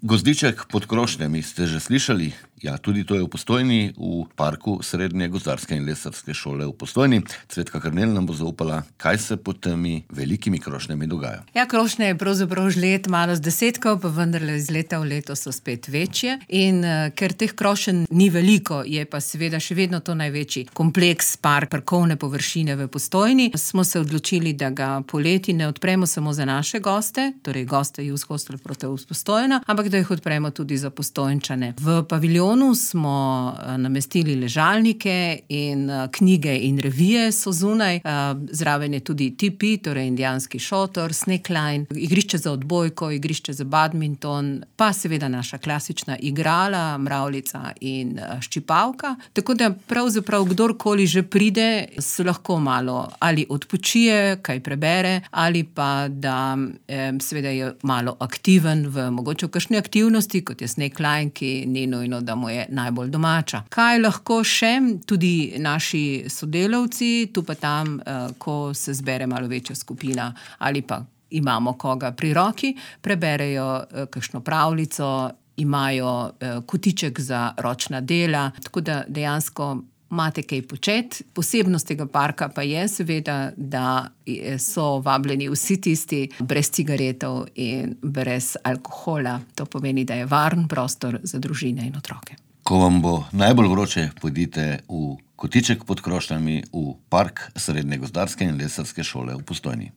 Gozdiček pod Krošnjami ste že slišali? Ja, tudi to je v Postojni, v parku Srednje gozdarske in lesarske šole v Postojni. Cvetka Karnel nam bo zaupala, kaj se pod temi velikimi krošnjami dogaja. Ja, krošnje je pravzaprav žlet malo zdesetkov, pa vendarle iz leta v leto so spet večje. In ker teh krošenj ni veliko, je pa seveda še vedno to največji kompleks parkovne površine v Postojni. Smo se odločili, da ga poleti ne odpremo samo za naše goste, torej goste Youth Hostel Proteus Postojna, ampak da jih odpremo tudi za Postojnčane. V paviljonu smo namestili ležalnike in knjige in revije so zunaj. Zraven je tudi tipi, torej indijanski šotor, snackline, igrišče za odbojko, igrišče za badminton, pa seveda naša klasična igrala, mravljica in ščipalka. Tako da pravzaprav kdorkoli že pride, se lahko malo ali odpočije, kaj prebere, ali pa da seveda je malo aktiven v mogoče v kakšni aktivnosti, kot je snackline, ki ni nujno, da mu je najbolj domača. Kaj lahko še? Tudi naši sodelavci, tu pa tam, ko se zbere malo večja skupina ali pa imamo koga pri roki, preberejo kakšno pravljico, imajo kotiček za ročna dela, tako da dejansko imate kaj početi. Posebnost tega parka pa je seveda, da so vabljeni vsi tisti brez cigaretov in brez alkohola. To pomeni, da je varen prostor za družine in otroke. Ko vam bo najbolj vroče, pojdite v kotiček pod Krošnjami v park Srednje gozdarske in lesarske šole v Postojni.